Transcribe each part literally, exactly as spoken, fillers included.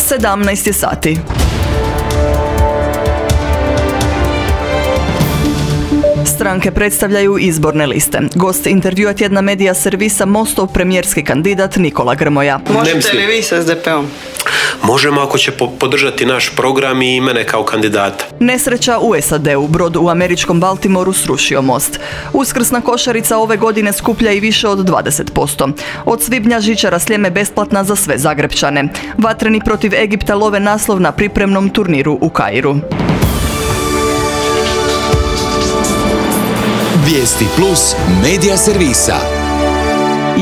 sedamnaest je sati. Stranke predstavljaju izborne liste. Gost intervjua tjedna medija servisa Mostov premijerski kandidat Nikola Grmoja. Možete li vi s es de peom? Možemo ako će podržati naš program i mene kao kandidata. Nesreća u es a de u. Brod u američkom Baltimoru srušio most. Uskrsna košarica ove godine skuplja i više od dvadeset posto. Od svibnja žičara Sljeme besplatna za sve Zagrepčane. Vatreni protiv Egipta love naslov na pripremnom turniru u Kairu. Vijesti plus medija servisa.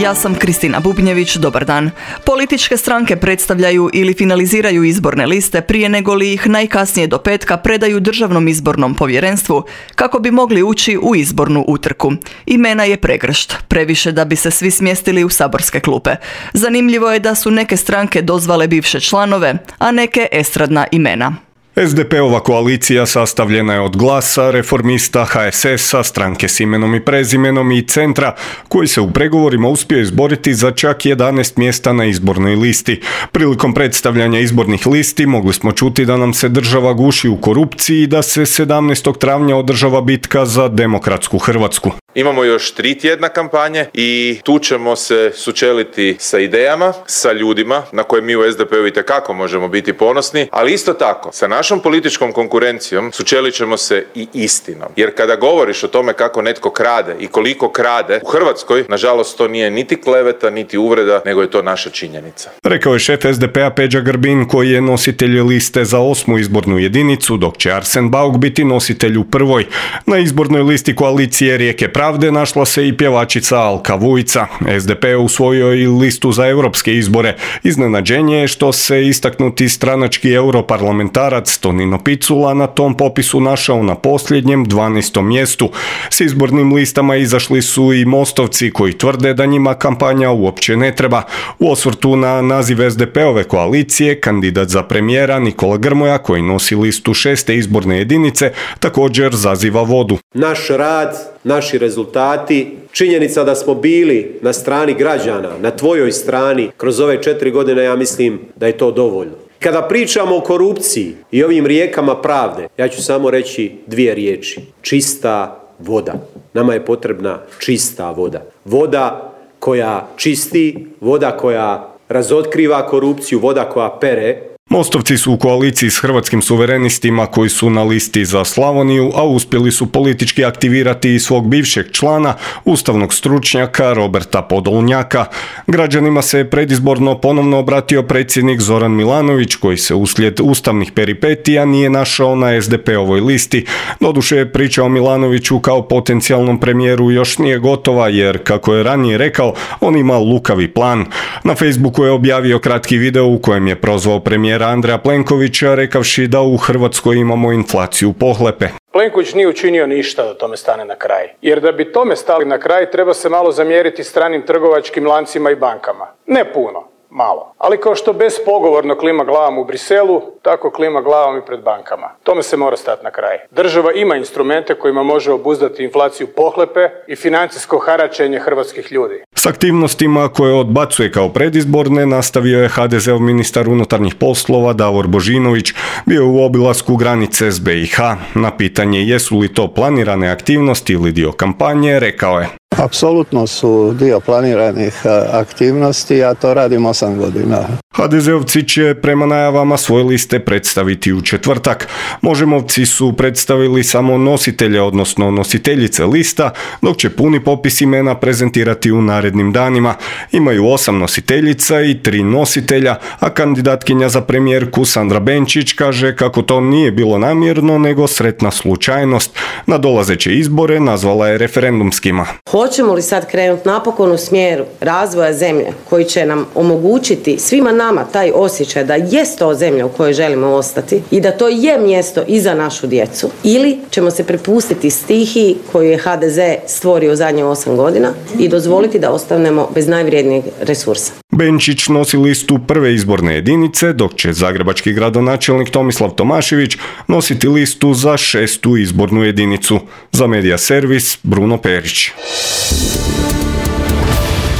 Ja sam Kristina Bubnjević, dobar dan. Političke stranke predstavljaju ili finaliziraju izborne liste prije nego li ih najkasnije do petka predaju Državnom izbornom povjerenstvu kako bi mogli ući u izbornu utrku. Imena je pregršt, previše da bi se svi smjestili u saborske klupe. Zanimljivo je da su neke stranke dozvale bivše članove, a neke estradna imena. es de peova koalicija sastavljena je od Glasa, Reformista, ha es esa, Stranke s imenom i prezimenom i Centra, koji se u pregovorima uspio izboriti za čak jedanaest mjesta na izbornoj listi. Prilikom predstavljanja izbornih listi mogli smo čuti da nam se država guši u korupciji i da se sedamnaestog travnja održava bitka za demokratsku Hrvatsku. Imamo još tri tjedna kampanje i tu ćemo se sučeliti sa idejama, sa ljudima na koje mi u es de peu itekako možemo biti ponosni, ali isto tako sa našom političkom konkurencijom sučelit ćemo se i istinom. Jer kada govoriš o tome kako netko krade i koliko krade u Hrvatskoj, nažalost to nije niti kleveta, niti uvreda, nego je to naša činjenica. Rekao je šef es de pea Peđa Grbin, koji je nositelj liste za osmu izbornu jedinicu, dok će Arsen Bauk biti nositelj u prvoj. Na izbornoj listi koalicije Rijeke pravde našla se i pjevačica Alka Vujica. es de pe usvojio i listu za europske izbore. Iznenađenje je što se istaknuti stranački europarlamentarac Tonino Picula na tom popisu našao na posljednjem dvanaestom mjestu. S izbornim listama izašli su i Mostovci koji tvrde da njima kampanja uopće ne treba. U osvrtu na naziv es de peove koalicije, kandidat za premijera Nikola Grmoja, koji nosi listu šeste izborne jedinice, također zaziva vodu. Naš rad, naši rezultati, činjenica da smo bili na strani građana, na tvojoj strani kroz ove četiri godine, ja mislim da je to dovoljno. Kada pričamo o korupciji i ovim rijekama pravde, ja ću samo reći dvije riječi. Čista voda. Nama je potrebna čista voda. Voda koja čisti, voda koja razotkriva korupciju, voda koja pere. Mostovci su u koaliciji s Hrvatskim suverenistima koji su na listi za Slavoniju, a uspjeli su politički aktivirati i svog bivšeg člana, ustavnog stručnjaka Roberta Podolnjaka. Građanima se predizborno ponovno obratio predsjednik Zoran Milanović, koji se uslijed ustavnih peripetija nije našao na es de peovoj listi. Doduše je priča o Milanoviću kao potencijalnom premijeru još nije gotova, jer, kako je ranije rekao, on ima lukavi plan. Na Facebooku je objavio kratki video u kojem je prozvao premijera Andreja Plenkovića, rekavši da u Hrvatskoj imamo inflaciju pohlepe. Plenković nije učinio ništa da tome stane na kraj. Jer da bi tome stali na kraj, treba se malo zamjeriti stranim trgovačkim lancima i bankama. Ne puno, malo. Ali kao što bespogovorno klima glavom u Briselu, tako klima glavom i pred bankama. Tome se mora stati na kraj. Država ima instrumente kojima može obuzdati inflaciju pohlepe i financijsko haračenje hrvatskih ljudi. S aktivnostima koje odbacuje kao predizborne nastavio je ha de zeov ministar unutarnjih poslova Davor Božinović. Bio u obilasku granice s be i ha. Na pitanje jesu li to planirane aktivnosti ili dio kampanje, rekao je: Apsolutno su dio planiranih aktivnosti, ja to radim osam godina. ha de zeovci će prema najavama svoje liste predstaviti u četvrtak. Možemovci su predstavili samo nositelje, odnosno nositeljice lista, dok će puni popis imena prezentirati u narednim danima. Imaju osam nositeljica i tri nositelja, a kandidatkinja za premijerku Sandra Benčić kaže kako to nije bilo namjerno, nego sretna slučajnost. Na dolazeće izbore nazvala je referendumskima. Hoćemo li sad krenuti napokon u smjeru razvoja zemlje koji će nam omogućiti svima nama taj osjećaj da jest to zemlja u kojoj želimo ostati i da to je mjesto i za našu djecu, ili ćemo se prepustiti stihiji koju je ha de ze stvorio u zadnje osam godina i dozvoliti da ostanemo bez najvrijednijeg resursa. Benčić nosi listu prve izborne jedinice, dok će zagrebački gradonačelnik Tomislav Tomašević nositi listu za šestu izbornu jedinicu. Za Medija servis Bruno Perić.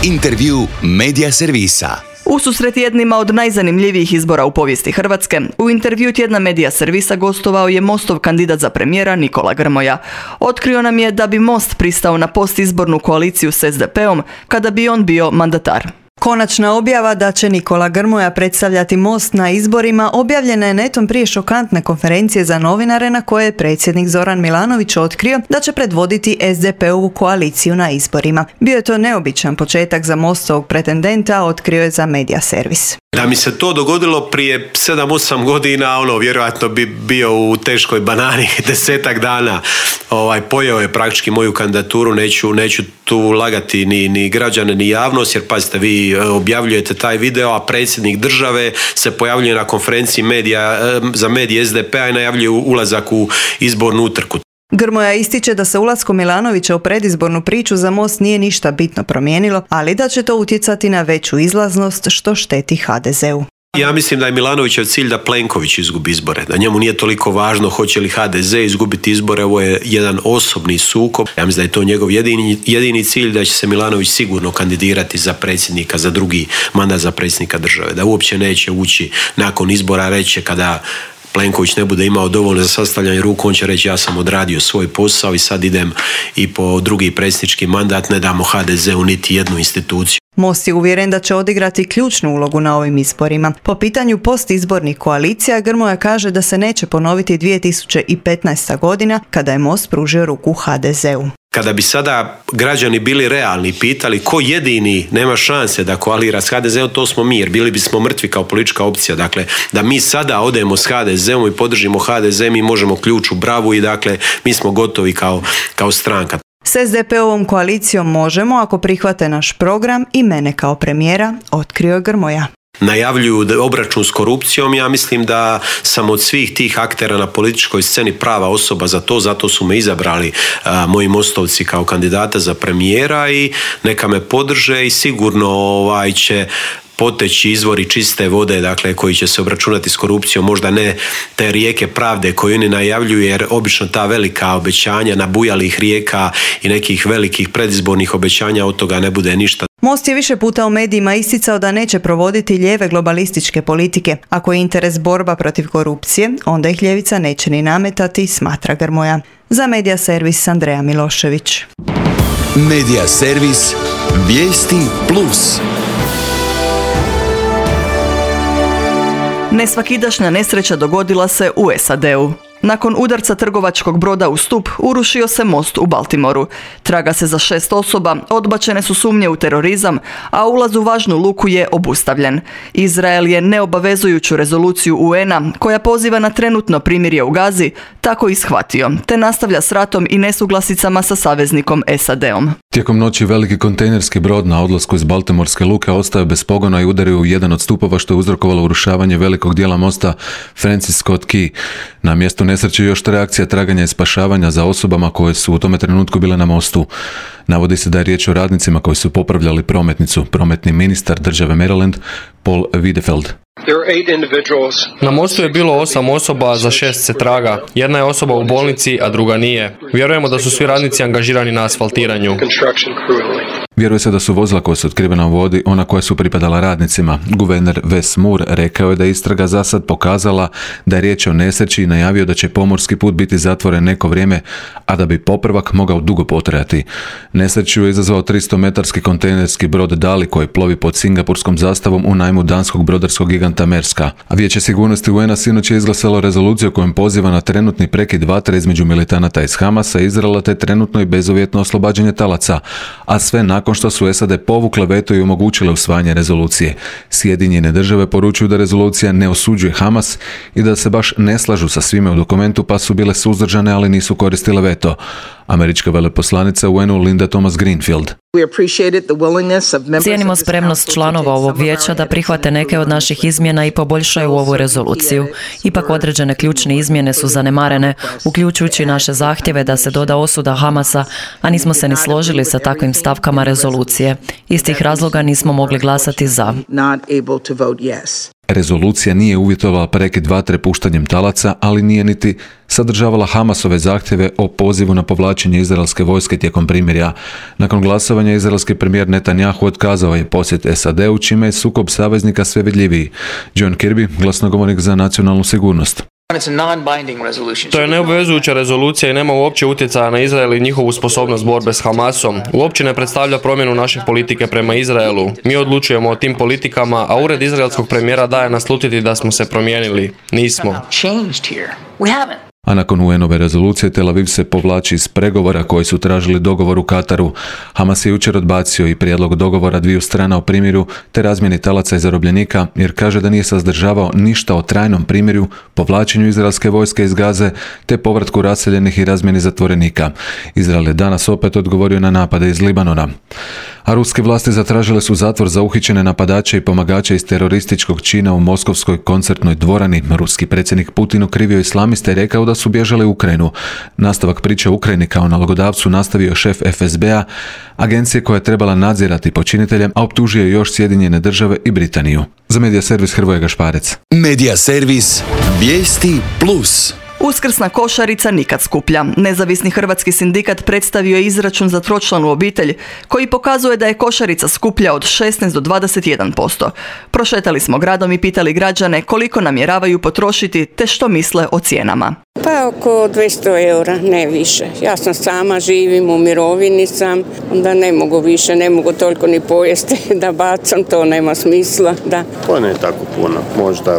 Intervju Medija servisa. Ususret jednima od najzanimljivijih izbora u povijesti Hrvatske, u intervju tjedna Medija servisa gostovao je Mostov kandidat za premijera Nikola Grmoja. Otkrio nam je da bi Most pristao na postizbornu koaliciju s es de peom kada bi on bio mandatar. Konačna objava da će Nikola Grmoja predstavljati Most na izborima objavljena je netom prije šokantne konferencije za novinare na koje je predsjednik Zoran Milanović otkrio da će predvoditi es de peovu koaliciju na izborima. Bio je to neobičan početak za Mostovog pretendenta, otkrio je za Medija servis. Da mi se to dogodilo prije sedam osam godina, ono, vjerojatno bi bio u teškoj banani desetak dana. Ovaj, pojeo je praktički moju kandidaturu, neću, neću tu lagati ni, ni građane, ni javnost, jer pazite, vi objavljujete taj video, a predsjednik države se pojavljuje na konferenciji medija, za medije es de pe a i najavljuje ulazak u izbornu utrku. Grmoja ističe da se ulaskom Milanovića u predizbornu priču za Most nije ništa bitno promijenilo, ali da će to utjecati na veću izlaznost što šteti ha de zeu. Ja mislim da je Milanovićev cilj da Plenković izgubi izbore, da njemu nije toliko važno hoće li ha de ze izgubiti izbore, ovo je jedan osobni sukob. Ja mislim da je to njegov jedini, jedini cilj, da će se Milanović sigurno kandidirati za predsjednika, za drugi mandat za predsjednika države, da uopće neće ući nakon izbora, reći kada Plenković ne bude imao dovoljno za sastavljanje ruku, on će reći ja sam odradio svoj posao i sad idem i po drugi predsjednički mandat, ne damo ha de zeu niti jednu instituciju. Most je uvjeren da će odigrati ključnu ulogu na ovim izborima. Po pitanju postizbornih koalicija, Grmoja kaže da se neće ponoviti dvije tisuće petnaesta godina kada je Most pružio ruku ha de zeu. Kada bi sada građani bili realni, pitali ko jedini nema šanse da koalira s ha de zeom, to smo mi, jer bili bismo mrtvi kao politička opcija. Dakle, da mi sada odemo s ha de zeom i podržimo ha de ze, mi možemo ključ u bravu i dakle, mi smo gotovi kao, kao stranka. S es de peovom koalicijom možemo ako prihvate naš program i mene kao premijera, otkrio je Grmoja. Najavljuju obračun s korupcijom, ja mislim da sam od svih tih aktera na političkoj sceni prava osoba za to, zato su me izabrali a, moji mostovci kao kandidata za premijera i neka me podrže i sigurno ovaj, će poteći izvori čiste vode, dakle, koji će se obračunati s korupcijom, možda ne te rijeke pravde koje oni najavljuju, jer obično ta velika obećanja nabujalih rijeka i nekih velikih predizbornih obećanja od toga ne bude ništa. Most je više puta u medijima isticao da neće provoditi lijeve globalističke politike. Ako je interes borba protiv korupcije, onda ih ljevica neće ni nametati, smatra Grmoja. Za Medija servis Andreja Milošević. Medija servis Vijesti plus. Nesvakidašnja nesreća dogodila se u es a de u. Nakon udarca trgovačkog broda u stup, urušio se most u Baltimoru. Traga se za šest osoba, odbačene su sumnje u terorizam, a ulaz u važnu luku je obustavljen. Izrael je neobavezujuću rezoluciju u en a, koja poziva na trenutno primirje u Gazi, tako ishvatio, te nastavlja s ratom i nesuglasicama sa saveznikom es a de om. Tijekom noći veliki kontejnerski brod na odlasku iz Baltimorske luke ostao bez pogona i udario u jedan od stupova, što je uzrokovalo urušavanje velikog dijela mosta Francis Scott Key. Na mjestu nesreće još reakcija traganja i spašavanja za osobama koje su u tome trenutku bile na mostu. Navodi se da je riječ o radnicima koji su popravljali prometnicu. Prometni ministar države Maryland, Paul Wiedefeld. Na mostu je bilo osam osoba, za šest se traga. Jedna je osoba u bolnici, a druga nije. Vjerujemo da su svi radnici angažirani na asfaltiranju. Vjeruje se da su vozila koja su otkrivena u vodi ona koja su pripadala radnicima. Guverner Wes Moore rekao je da je istraga za sad pokazala da je riječ o nesreći i najavio da će pomorski put biti zatvoren neko vrijeme, a da bi popravak mogao dugo potrajati. Nesreću je izazvao tristometarski kontejnerski brod Dali koji plovi pod singapurskom zastavom u najmu danskog brodarskog giganta Merska. A Vijeće sigurnosti u en a sinoć je izglasalo rezoluciju kojom poziva na trenutni prekid vatre između militanata iz Hamasa i Izraela te trenutno i bezuvjetno oslobađanje talaca, a sve nakon što su es a de povukle veto i omogućile usvajanje rezolucije. Sjedinjene države poručuju da rezolucija ne osuđuje Hamas i da se baš ne slažu sa svime u dokumentu, pa su bile suzdržane, ali nisu koristile veto. Američka veleposlanica u en u Linda Thomas Greenfield. Cijenimo spremnost članova ovog vijeća da prihvate neke od naših izmjena i poboljšaju ovu rezoluciju. Ipak određene ključne izmjene su zanemarene, uključujući naše zahtjeve da se doda osuda Hamasa, a nismo se ni složili sa takvim stavkama rezolucije. Iz tih razloga nismo mogli glasati za. Rezolucija nije uvjetovala prekid vatre puštanjem talaca, ali nije niti sadržavala Hamasove zahtjeve o pozivu na povlačenje izraelske vojske tijekom primirja. Nakon glasovanja izraelski premijer Netanjahu otkazao je posjet S A D-u, čime je sukob saveznika sve vidljiviji. John Kirby, glasnogovornik za nacionalnu sigurnost. To je neobvezujuća rezolucija i nema uopće utjecaja na Izrael i njihovu sposobnost borbe s Hamasom. Uopće ne predstavlja promjenu naše politike prema Izraelu. Mi odlučujemo o tim politikama, a ured izraelskog premijera daje naslutiti da smo se promijenili. Nismo. A nakon U N-ove rezolucije Tel Aviv se povlači iz pregovora koji su tražili dogovor u Kataru. Hamas je jučer odbacio i prijedlog dogovora dviju strana o primiru te razmjeni talaca i zarobljenika, jer kaže da nije sazdržavao ništa o trajnom primirju, povlačenju izraelske vojske iz Gaze te povratku raseljenih i razmjeni zatvorenika. Izrael je danas opet odgovorio na napade iz Libanona. A ruske vlasti zatražile su zatvor za uhićene napadače i pomagače iz terorističkog čina u moskovskoj koncertnoj dvorani. Ruski predsjednik Putin okrivio islamiste i rekao da su bježali u Ukrajinu. Nastavak priče o Ukrajini kao nalogodavcu nastavio šef F S B-a, agencije koja je trebala nadzirati počinitelje, a optužio još Sjedinjene države i Britaniju. Za Medija servis Hrvoje Gašparec. Medija servis Vijesti plus. Uskrsna košarica nikad skuplja. Nezavisni hrvatski sindikat predstavio je izračun za tročlanu obitelj koji pokazuje da je košarica skuplja od šesnaest do dvadeset jedan posto. Prošetali smo gradom i pitali građane koliko namjeravaju potrošiti te što misle o cijenama. Pa oko dvjesto eura, ne više. Ja sam sama, živim, u mirovini sam, onda ne mogu više, ne mogu toliko ni pojesti da bacam, to nema smisla. Da. To ne tako puno, možda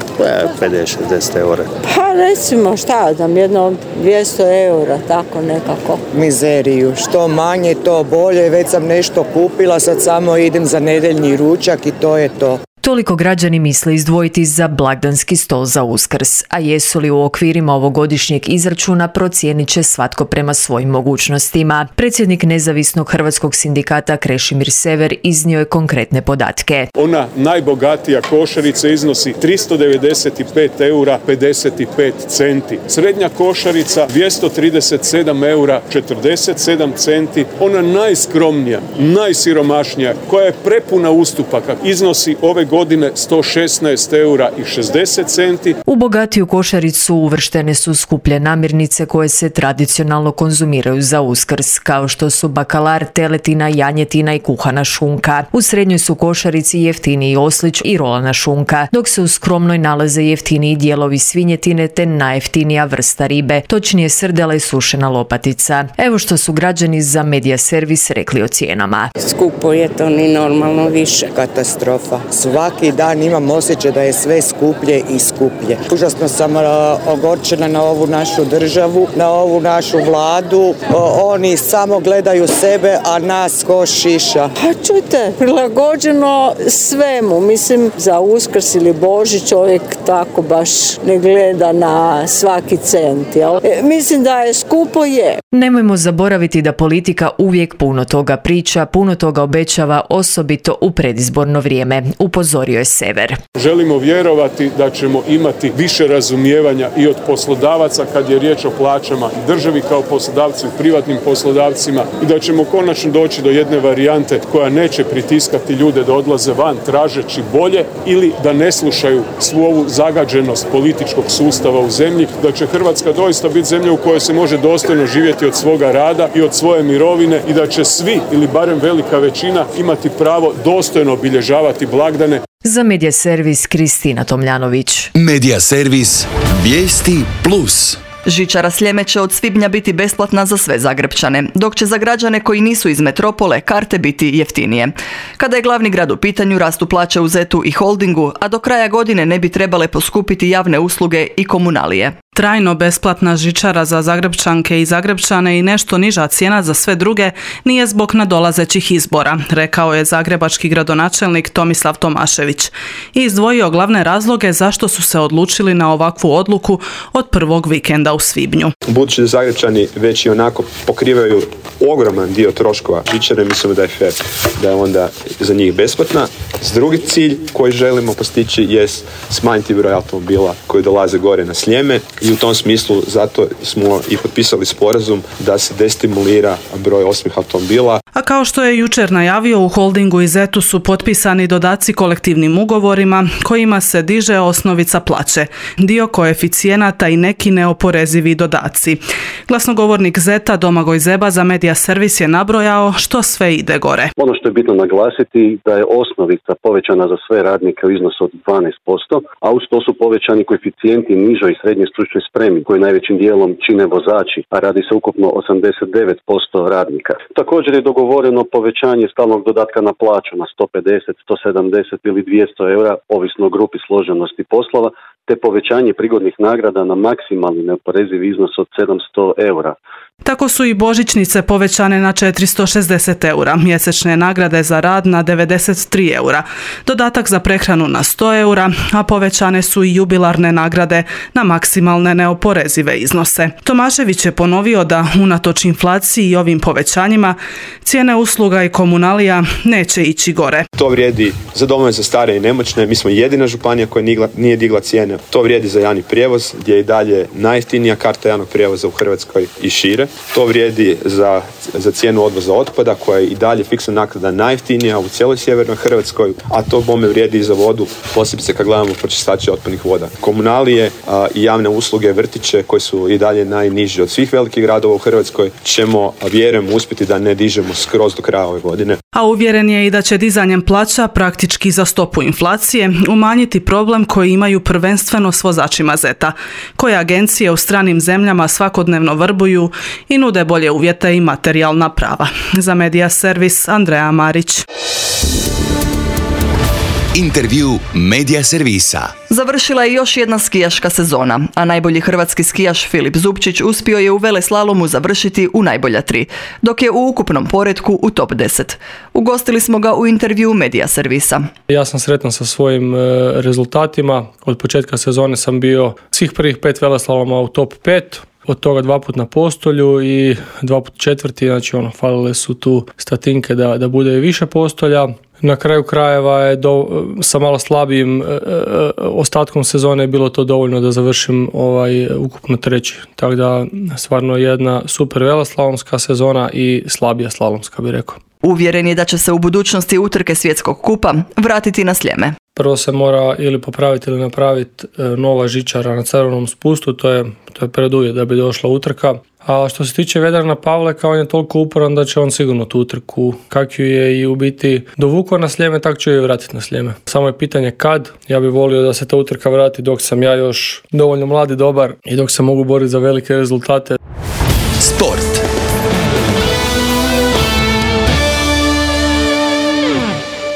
pedeset do šezdeset eura. Pa recimo šta znam, jedno dvjesto eura, tako nekako. Mizeriju, što manje to bolje, već sam nešto kupila, sad samo idem za nedeljni ručak i to je to. Toliko građani misle izdvojiti za blagdanski stol za Uskrs, a jesu li u okvirima ovogodišnjeg izračuna procijenit će svatko prema svojim mogućnostima. Predsjednik Nezavisnog hrvatskog sindikata Krešimir Sever iznio je konkretne podatke. Ona najbogatija košarica iznosi tristo devedeset pet eura pedeset pet centi. Srednja košarica dvjesto trideset sedam eura četrdeset sedam centi. Ona najskromnija, najsiromašnija, koja je prepuna ustupaka, iznosi ove godine sto šesnaest eura i šezdeset centi. U bogatiju košaricu uvrštene su skuplje namirnice koje se tradicionalno konzumiraju za Uskrs, kao što su bakalar, teletina, janjetina i kuhana šunka. U srednjoj su košarici jeftiniji oslić i rolana šunka, dok se u skromnoj nalaze jeftiniji dijelovi svinjetine te najjeftinija vrsta ribe, točnije srdela i sušena lopatica. Evo što su građani za Medija servis rekli o cijenama. Skupo je to, ni normalno više. Katastrofa. Svaki dan imam osjećaj da je sve skuplje i skuplje. Užasno sam ogorčena na ovu našu državu, na ovu našu vladu. O, oni samo gledaju sebe, a nas ko šiša. Pa čujte, prilagođeno svemu. Mislim, za Uskrs ili Božić čovjek tako baš ne gleda na svaki cent. Jel? E, mislim da je skupo je. Nemojmo zaboraviti da politika uvijek puno toga priča, puno toga obećava, osobito u predizborno vrijeme. Upozorio je Sever. Želimo vjerovati da ćemo imati više razumijevanja i od poslodavaca kad je riječ o plaćama i državi kao poslodavci i privatnim poslodavcima i da ćemo konačno doći do jedne varijante koja neće pritiskati ljude da odlaze van tražeći bolje ili da ne slušaju svu ovu zagađenost političkog sustava u zemlji, da će Hrvatska doista biti zemlja u kojoj se može dostojno živjeti od svoga rada i od svoje mirovine i da će svi ili barem velika većina imati pravo dostojno obilježavati blagdane. Za Medija servis Kristina Tomljanović. Medija servis Vijesti plus. Žičara Sljeme će od svibnja biti besplatna za sve Zagrepčane, dok će za građane koji nisu iz metropole karte biti jeftinije. Kada je glavni grad u pitanju, rastu plaće u Zetu i Holdingu, a do kraja godine ne bi trebale poskupiti javne usluge i komunalije. Trajno besplatna žičara za Zagrepčanke i Zagrepčane i nešto niža cijena za sve druge nije zbog nadolazećih izbora, rekao je zagrebački gradonačelnik Tomislav Tomašević i izdvojio glavne razloge zašto su se odlučili na ovakvu odluku od prvog vikenda u svibnju. Budući da Zagrepčani već i onako pokrivaju ogroman dio troškova žičare, mislimo da je fair da je onda za njih besplatna. S drugi cilj koji želimo postići jest smanjiti broj automobila koji dolaze gore na Sljeme i u tom smislu zato smo i potpisali sporazum da se destimulira broj osmih automobila. A kao što je jučer najavio, u holdingu i zetu su potpisani dodaci kolektivnim ugovorima kojima se diže osnovica plaće, dio koeficijenata i neki neoporezivi dodaci. Glasnogovornik zeta Domagoj Zeba za Medija Servis je nabrojao što sve ide gore. Ono što je bitno naglasiti da je osnovica povećana za sve radnike u iznosu od dvanaest posto, a uz to su povećani koeficijenti nižoj i srednjoj stručnoj spremi koji najvećim dijelom čine vozači, a radi se ukupno osamdeset devet posto radnika. Također je dogovoreno povećanje stalnog dodatka na plaću na sto pedeset, sto sedamdeset ili dvjesto eura, ovisno o grupi složenosti poslova, te povećanje prigodnih nagrada na maksimalni neoporezivi iznos od sedamsto eura. Tako su i božićnice povećane na četiristo šezdeset eura, mjesečne nagrade za rad na devedeset tri eura, dodatak za prehranu na sto eura, a povećane su i jubilarne nagrade na maksimalne neoporezive iznose. Tomašević je ponovio da unatoč inflaciji i ovim povećanjima cijene usluga i komunalija neće ići gore. To vrijedi za domove za stare i nemoćne, mi smo jedina županija koja nije digla cijene. To vrijedi za javni prijevoz gdje je i dalje najjeftinija karta javnog prijevoza u Hrvatskoj i šire. To vrijedi za, za cijenu odvoza otpada koja je i dalje fiksna naknada najjeftinija u cijeloj sjevernoj Hrvatskoj, a to bome vrijedi i za vodu, posebice kad gledamo pročistače otpadnih voda. Komunalije a, i javne usluge, vrtiće koji su i dalje najniži od svih velikih gradova u Hrvatskoj ćemo, vjerujem, uspjeti da ne dižemo skroz do kraja ove godine. A uvjeren je i da će dizanjem plaća praktički za stopu inflacije umanjiti problem koji imaju prvenstveno s vozačima zeta, koje agencije u stranim zemljama svakodnevno vrbuju i nude bolje uvjete i materijalna prava. Za Medija Servis, Andreja Marić. Intervju Medija Servisa. Završila je još jedna skijaška sezona, a najbolji hrvatski skijaš Filip Zupčić uspio je u veleslalomu završiti u najbolja tri, dok je u ukupnom poretku u top deset. Ugostili smo ga u intervju Medija Servisa. Ja sam sretan sa svojim rezultatima. Od početka sezone sam bio svih prvih pet veleslaloma u top pet. Od toga dva put na postolju i dva put četvrti, znači ono, falile su tu statinke da, da bude više postolja. Na kraju krajeva je do, sa malo slabijim e, e, ostatkom sezone je bilo to dovoljno da završim ovaj ukupno treći. Tako da stvarno jedna super veleslalomska sezona i slabija slalomska, bih rekao. Uvjeren je da će se u budućnosti utrke svjetskog kupa vratiti na Sljeme. Prvo se mora ili popraviti ili napraviti nova žičara na crvenom spustu, to je, to je preduvjet da bi došla utrka. A što se tiče Vedrana Pavleka, on je toliko uporan da će on sigurno tu utrku, kak ju je i u biti dovukao na Sljeme, tak će ju vratiti na Sljeme. Samo je pitanje kad. Ja bih volio da se ta utrka vrati dok sam ja još dovoljno mlad i dobar i dok se mogu boriti za velike rezultate. Sport.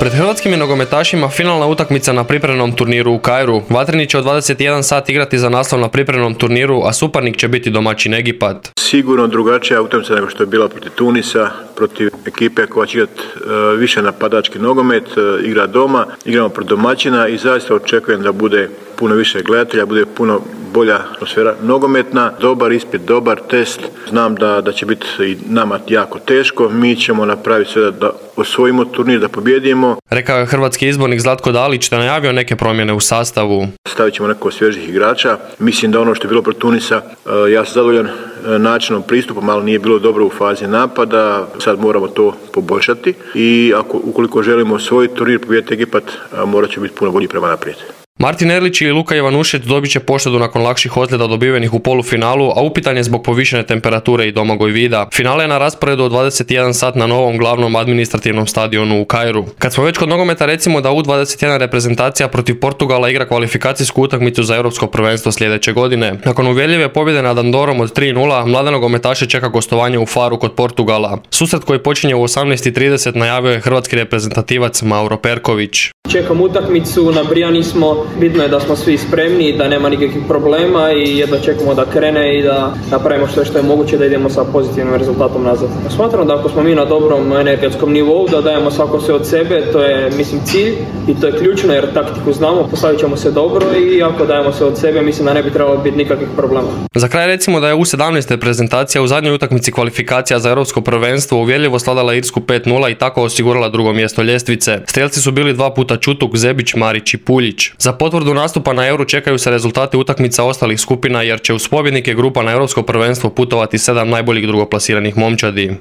Pred hrvatskim je nogometašima finalna utakmica na pripremnom turniru u Kairu. Vatreni će od dvadeset jedan sat igrati za naslov na pripremnom turniru, a suparnik će biti domaćin Egipat. Sigurno drugačija utakmica nego što je bila protiv Tunisa, protiv ekipe koja će igrati uh, više napadački nogomet, uh, igra doma, igramo protiv domaćina i zaista očekujem da bude puno više gledatelja, bude puno bolja atmosfera nogometna, dobar ispit, dobar test. Znam da, da će biti i nama jako teško, mi ćemo napraviti sve da, da osvojimo turnir, da pobjedimo. Rekao je hrvatski izbornik Zlatko Dalić da najavio neke promjene u sastavu. Stavit ćemo neko svježih igrača. Mislim da ono što je bilo protiv Tunisa, uh, ja sam zadovoljan uh, načinom pristupom, ali nije bilo dobro u fazi napada. Sad moramo to poboljšati i ako, ukoliko želimo osvojiti turnir, pobijediti Egipat, uh, morat će biti puno bolji prema naprijed. Martin Erlić i Luka Ivanušec dobit će poštedu nakon lakših ozljeda dobivenih u polufinalu, a upitan je zbog povišene temperature i Domagoj Vida. Finale je na rasporedu od dvadeset jedan sat na novom glavnom administrativnom stadionu u Kairu. Kad smo već kod nogometa, recimo da U dvadeset jedan reprezentacija protiv Portugala igra kvalifikacijsku utakmicu za europsko prvenstvo sljedeće godine. Nakon uvjerljive pobjede nad Andorom od tri nula, mlade nogometaše čeka gostovanje u Faru kod Portugala. Susret koji počinje u osamnaest i trideset najavio je hrvatski reprezentativac Mauro Perković. Čekam utakmicu, nabrijani smo, bitno je da smo svi spremni, da nema nikakvih problema i jedva čekamo da krene i da napravimo što je što je moguće da idemo sa pozitivnim rezultatom nazad. Smatram da ako smo mi na dobrom energetskom nivou, da dajemo svako sve od sebe, to je mislim cilj i to je ključno jer taktiku znamo, postavit ćemo se dobro i ako dajemo sve od sebe, mislim da ne bi trebalo biti nikakvih problema. Za kraj recimo da je U sedamnaest reprezentacija u zadnjoj utakmici kvalifikacija za europsko prvenstvo uvjerljivo sladala Irsku pet nula i tako osigurala drugo mjesto ljestvice. Strijelci su bili dva puta Čutuk, Zebić, Marić i Puljić. Za potvrdu nastupa na Euru čekaju se rezultati utakmica ostalih skupina jer će uz pobjednike grupa na Europsko prvenstvo putovati sedam najboljih drugoplasiranih momčadi.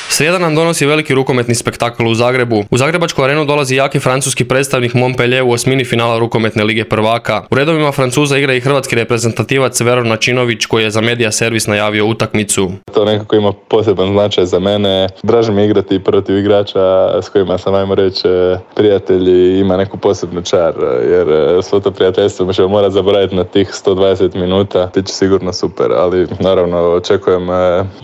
Srijeda nam donosi veliki rukometni spektakl u Zagrebu. U Zagrebačku arenu dolazi jaki francuski predstavnik Montpellier u osmini finala rukometne lige prvaka. U redovima Francuza igra i hrvatski reprezentativac Veron Načinović koji je za Media Servis najavio utakmicu. To nekako ima poseban značaj za mene. Draže mi igrati protiv igrača s kojima sam, ajmo reći, prijatelji, ima neku posebnu čar, jer svo to prijateljstvo mi ćemo morati zaboraviti na tih sto dvadeset minuta. Biće sigurno super, ali naravno očekujem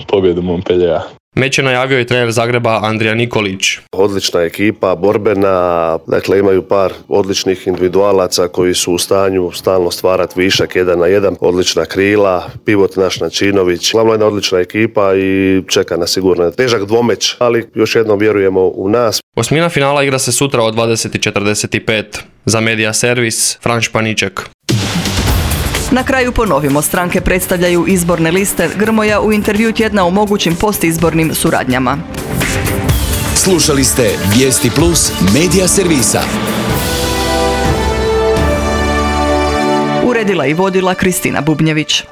pobjedu Montpelliera. Meč je najavio i trener Zagreba Andrija Nikolić. Odlična ekipa, borbena, dakle imaju par odličnih individualaca koji su u stanju stalno stvarati višak jedan na jedan, odlična krila, pivot naš Načinović, glavno jedna odlična ekipa i čeka nas sigurno težak dvomeć, ali još jednom vjerujemo u nas. Osmina finala igra se sutra od dvadeset i četrdeset pet. Za Media Servis, Fran Španiček. Na kraju ponovimo, stranke predstavljaju izborne liste. Grmoja u intervju tjedna o mogućim postizbornim suradnjama. Slušali ste Vijesti Plus Media Servisa. Uredila i vodila Kristina Bubnjević.